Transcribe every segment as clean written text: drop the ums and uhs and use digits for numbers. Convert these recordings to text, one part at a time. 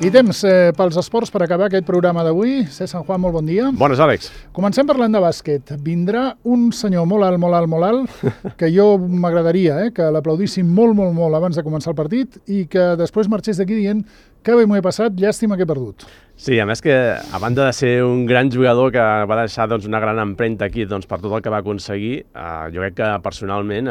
I temps pels esports per acabar aquest programa d'avui. César Juan, molt bon dia. Bones, Àlex. Comencem parlant de bàsquet. Vindrà un senyor molt alt, que jo m'agradaria que l'aplaudíssim molt abans de començar el partit i que després marxés d'aquí dient que bé m'ho he passat, llàstima que he perdut. Sí, a més que, a banda de ser un gran jugador que va deixar una gran empremta aquí per tot el que va aconseguir, jo crec que personalment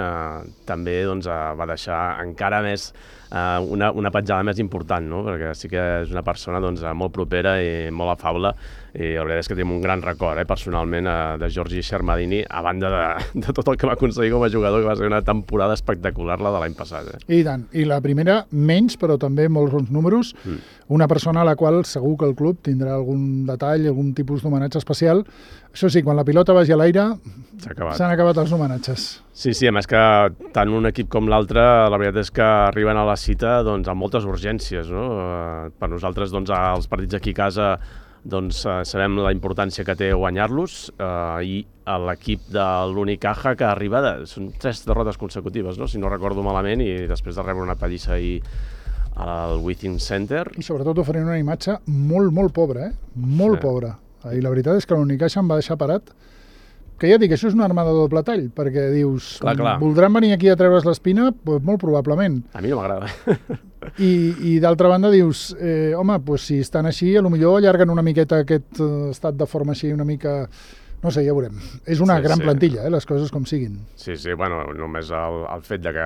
també va deixar encara més una petjada més important, no? Perquè sí que és una persona molt propera i molt afable, i la veritat és que tenim un gran record personalment de Giorgi Shermadini, a banda de tot el que va aconseguir com a jugador, que va ser una temporada espectacular la de l'any passat. I tant, i la primera menys, però també molts bons números, una persona a la qual segur que el club tindrà algun detall, algun tipus d'homenatge especial. Això sí, quan la pilota vagi a l'aire, s'han acabat els homenatges. Sí, a més que tant un equip com l'altre, la veritat és que arriben a la cita amb moltes urgències, no? Per nosaltres, els partits aquí a casa, sabem la importància que té guanyar-los, i l'equip de l'Unicaja que arriba, són 3 derrotes consecutives, no? Si no recordo malament, i després de rebre una pallissa ahir al Withing Center. I sobretot oferint una imatge molt pobra, molt pobra. I la veritat és que l'Unicaja em va deixar parat, que ja dic, això és una arma de doble tall, perquè dius, voldran venir aquí a treure's l'espina? Pues molt probablement. A mi no m'agrada. I d'altra banda dius, home, si estan així, potser allarguen una miqueta aquest estat de forma així, una mica... No sé, ja veurem. És una gran plantilla, les coses com siguin. Sí, bueno, només el fet de que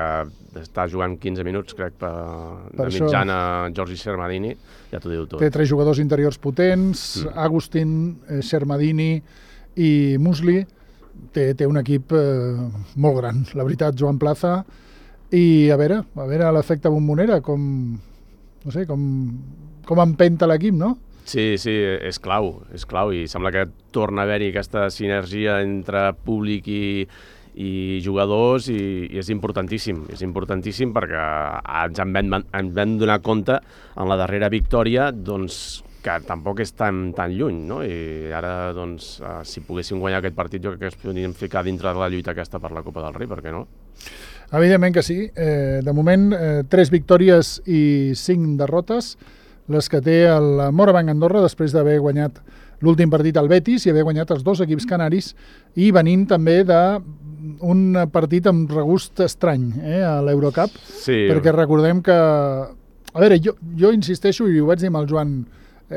està jugant 15 minuts, crec, de mitjana Giorgi Shermadini, ja t'ho diu tot. Té 3 jugadors interiors potents, Agustin, Shermadini i Musli. Té un equip molt gran, la veritat, Joan Plaza. I a veure l'efecte bombonera, com empenta l'equip, no? Sí, és clau, i sembla que torna a haver-hi aquesta sinergia entre públic i jugadors, i és importantíssim perquè ens en vam donar compte en la darrera victòria que tampoc és tan lluny, no? I ara, si poguéssim guanyar aquest partit, jo crec que es podríem ficar dintre de la lluita aquesta per la Copa del Rei, per què no? Evidentment que sí. De moment, 3 victòries i 5 derrotes, les que té el Morabanc Andorra després d'haver guanyat l'últim partit al Betis i haver guanyat els 2 equips canaris, i venint també d'un partit amb regust estrany a l'Eurocup, perquè recordem que... A veure, jo insisteixo, i ho vaig dir amb el Joan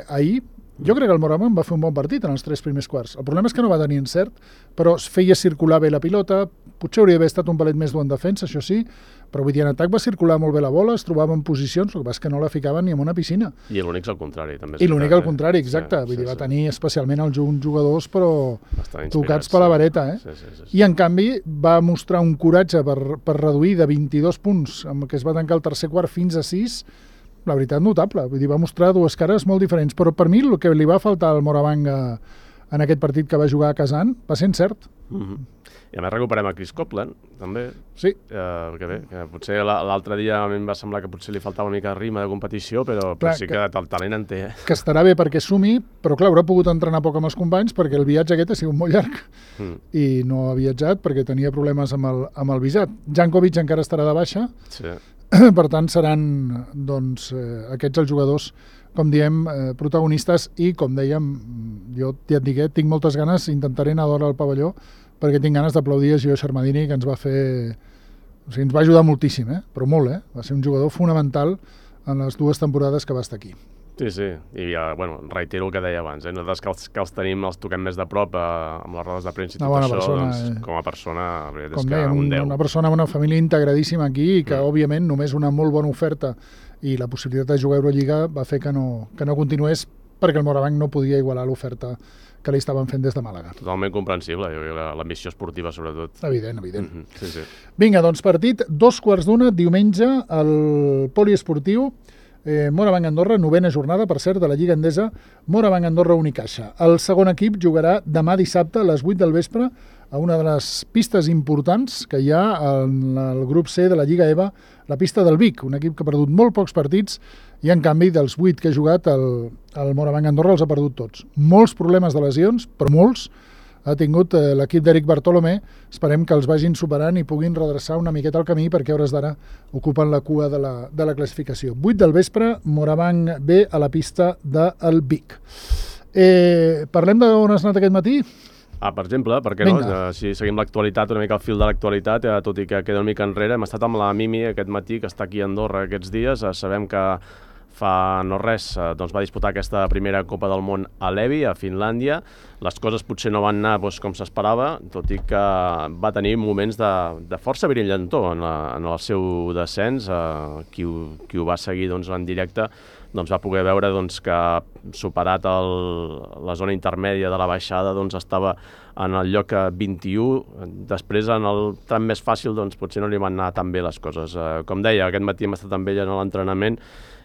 ahir, jo crec que el Morabanc va fer un bon partit en els 3 primers quarts. El problema és que no va tenir encert, però es feia circular bé la pilota, potser hauria d'haver estat un palet més dur en defensa, això sí, però vull dir, en atac va circular molt bé la bola, es trobava en posicions, el que passa és que no la ficaven ni en una piscina. I l'únic al contrari, també. I l'únic al contrari, exacte. Vull dir, va tenir especialment uns jugadors, però tocats per la vareta. I en canvi va mostrar un coratge per reduir de 22 punts, amb què es va tancar el tercer quart, fins a 6, la veritat, notable. Vull dir, va mostrar 2 cares molt diferents, però per mi el que li va faltar al Morabanc en aquest partit que va jugar a Kazan va ser encert. I a més recuperem a Chris Copeland, també. Sí. Que bé, que potser l'altre dia a mi em va semblar que potser li faltava una mica de ritme de competició, però sí que el talent en té. Que estarà bé perquè sumi, però clar, haurà pogut entrenar poc amb els companys perquè el viatge aquest ha sigut molt llarg i no ha viatjat perquè tenia problemes amb el visat. Jankovic encara estarà de baixa. Sí. Per tant, seran aquests els jugadors, com diem, protagonistes, i com dèiem, jo ja et dic, tinc moltes ganes, intentaré anar d'hora al pavelló, perquè tinc ganes d'aplaudir a Gio Shermadini, que ens va fer... O sigui, ens va ajudar moltíssim, però molt, Va ser un jugador fonamental en les 2 temporades que va estar aquí. Sí, i reitero el que deia abans, nosaltres que els tenim, els toquem més de prop amb les rodes de premsa i tot això, com a persona, és que un 10. Una persona amb una família integradíssima aquí i que, òbviament, només una molt bona oferta i la possibilitat de jugar a Eurolliga va fer que no continués, perquè el Morabanc no podia igualar l'oferta que li estaven fent des de Màlaga. Totalment comprensible, l'ambició esportiva, sobretot. Evident. Sí. Vinga, doncs partit, 2:15, diumenge, al poliesportiu, Morabanc Andorra, 9ª jornada, per cert, de la Lliga Endesa, Morabanc Andorra Unicaja. El segon equip jugarà demà dissabte a les 8 del vespre a una de les pistes importants que hi ha en el grup C de la Lliga EVA, la pista del Vic, un equip que ha perdut molt pocs partits i, en canvi, dels 8 que ha jugat, el Morabanc Andorra els ha perdut tots. Molts problemes de lesions, però molts, ha tingut l'equip d'Eric Bartolomé. Esperem que els vagin superant i puguin redreçar una miqueta el camí, perquè a hores d'ara ocupen la cua de la classificació. 8 del vespre, Morabanc B a la pista del Vic. Parlem d'on has anat aquest matí? Per exemple, per què no? Si seguim l'actualitat, una mica al fil de l'actualitat, tot i que queda una mica enrere, hem estat amb la Mimi aquest matí, que està aquí a Andorra aquests dies. Sabem que fa no res va disputar aquesta primera Copa del Món a Levi, a Finlàndia. Les coses potser no van anar com s'esperava, tot i que va tenir moments de força brillantor en el seu descens. Qui ho va seguir en directe va poder veure que, superat la zona intermèdia de la baixada, estava en el lloc 21. Després, en el tram més fàcil, potser no li van anar tan bé les coses. Com deia, aquest matí hem estat amb ella en l'entrenament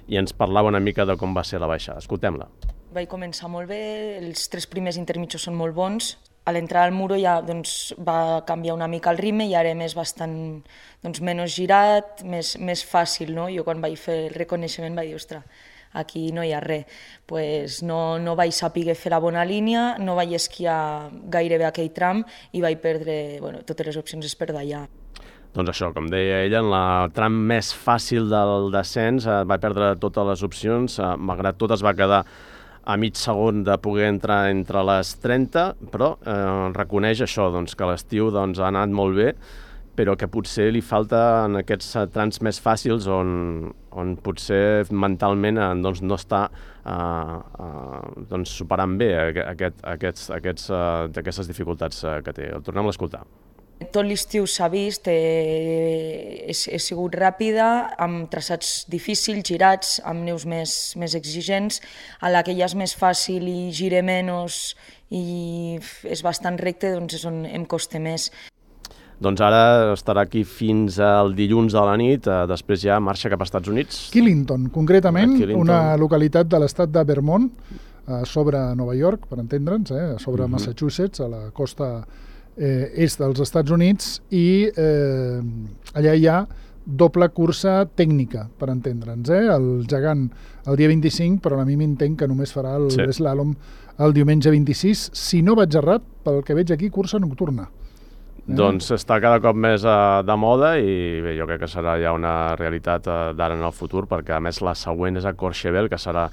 i ens parlava una mica de com va ser la baixada. Escoltem-la. Vaig començar molt bé, els 3 primers intermitjos són molt bons. A l'entrada al muro ja va canviar una mica el ritme i ara és bastant menys girat, més fàcil. No? Jo quan vaig fer el reconeixement vaig dir, ostres, aquí no hi ha res. Pues no vaig saber fer la bona línia, no vaig esquiar gairebé aquell tram i vaig perdre totes les opcions és per d'allà. Doncs això, com deia ella, en el tram més fàcil del descens va perdre totes les opcions, malgrat tot es va quedar a mig segon de poder entrar entre les 30, però reconeix això, que l'estiu ha anat molt bé, però que potser li falta en aquests trams més fàcils on potser mentalment no està superant bé aquestes dificultats que té. El tornem a escoltar. Tot l'estiu s'ha vist, he sigut ràpida, amb traçats difícils, girats, amb neus més exigents. A la que ja és més fàcil i gire menys i és bastant recte, és on em costa més. Doncs ara estarà aquí fins al dilluns a la nit, després ja marxa cap als Estats Units. Killington, concretament, una localitat de l'estat de Vermont, sobre Nova York, per entendre'ns, sobre Massachusetts, a la costa est dels Estats Units, i allà hi ha doble cursa tècnica, per entendre'ns. El gegant el dia 25, però a mi m'entenc que només farà l'eslàlom el diumenge 26. Si no vaig errat, pel que veig aquí, cursa nocturna. Doncs està cada cop més de moda i bé, jo crec que serà ja una realitat d'ara en el futur, perquè a més la següent és a Courchevel, que serà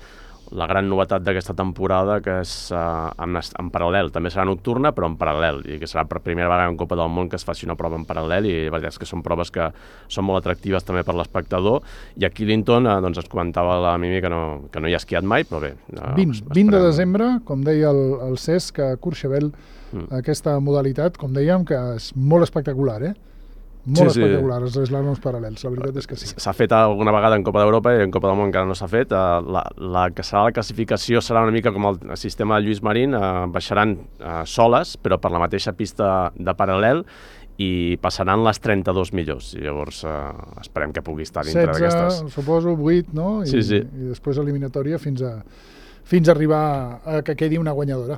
la gran novetat d'aquesta temporada, que és en paral·lel. També serà nocturna, però en paral·lel, i que serà per primera vegada en Copa del Món que es faci una prova en paral·lel, i la veritat és que són proves que són molt atractives també per l'espectador. I a Killington ens comentava la Mimi que no hi ha esquiat mai, però bé. 20 de desembre, com deia el Cesc, a Courchevel, aquesta modalitat, com dèiem, que és molt espectacular, molt espectacular, els eslàloms paral·lels, la veritat és que sí. S'ha fet alguna vegada en Copa d'Europa i en Copa del Món encara no s'ha fet. La que serà la classificació serà una mica com el sistema de Lluís Marín, baixaran soles, però per la mateixa pista de paral·lel, i passaran les 32 millors. I llavors esperem que pugui estar dintre d'aquestes. 16, suposo, 8, no? I després eliminatòria fins a arribar a que quedi una guanyadora.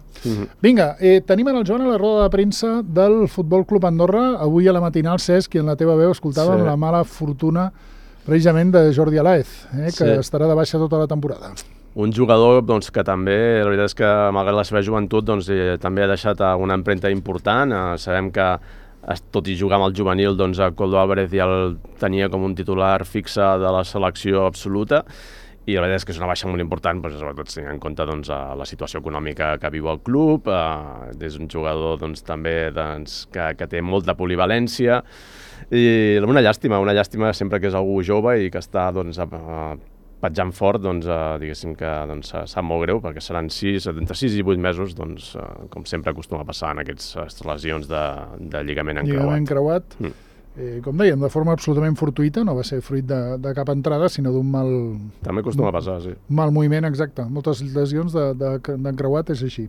Vinga, tenim en el Joan a la roda de premsa del Futbol Club Andorra. Avui a la matinal, Cesc, i en la teva veu escoltàvem la mala fortuna precisament de Jordi Alaez, que estarà de baixa tota la temporada. Un jugador que també, la veritat és que malgrat la seva joventut, també ha deixat una empremta important. Sabem que tot i jugar amb el juvenil, Koldo Álvarez ja el tenia com un titular fixe de la selecció absoluta, i la veritat és que és una baixa molt important, sobretot tenint en compte la situació econòmica que viu el club. És un jugador també que té molta polivalència, i una llàstima sempre que és algú jove i que està petjant fort, diguéssim que sap molt greu, perquè seran entre 6 i 8 mesos, com sempre acostuma a passar en aquestes lesions de lligament encreuat. Com dèiem, de forma absolutament fortuïta, no va ser fruit de cap entrada, sinó d'un mal... També acostuma a passar, sí. Mal moviment, exacte. Moltes lesions d'encreuat és així.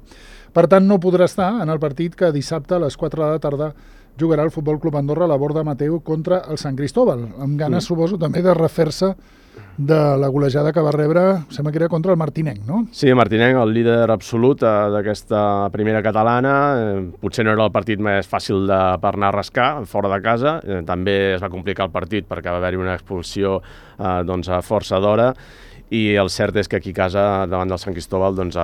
Per tant, no podrà estar en el partit que dissabte a les 4 de la tarda jugarà el Futbol Club Andorra a la Borda Mateu contra el Sant Cristóbal, amb ganes, suposo, també de refer-se de la golejada que va rebre, sembla que era contra el Martinenc, no? Sí, Martinenc, el líder absolut d'aquesta primera catalana. Potser no era el partit més fàcil per anar a rascar, fora de casa. També es va complicar el partit perquè va haver-hi una expulsió a força d'hora. i el cert és que aquí a casa, davant del Sant Cristóbal, doncs,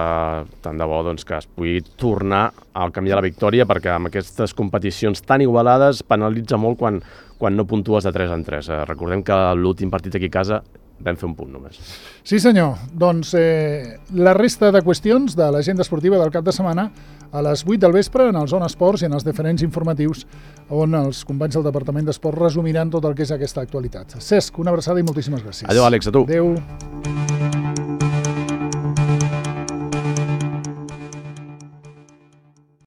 tant de bo doncs, que es pugui tornar al camí de la victòria, perquè amb aquestes competicions tan igualades penalitza molt quan no puntues de 3 en 3. Recordem que l'últim partit aquí a casa vam fer un punt només. Sí senyor, doncs la resta de qüestions de l'agenda esportiva del cap de setmana a les 8 del vespre en el Zona Esports i en els diferents informatius on els companys del Departament d'Esport resumiran tot el que és aquesta actualitat. Cesc, una abraçada i moltíssimes gràcies. Adéu, Àlex, a tu. Adéu.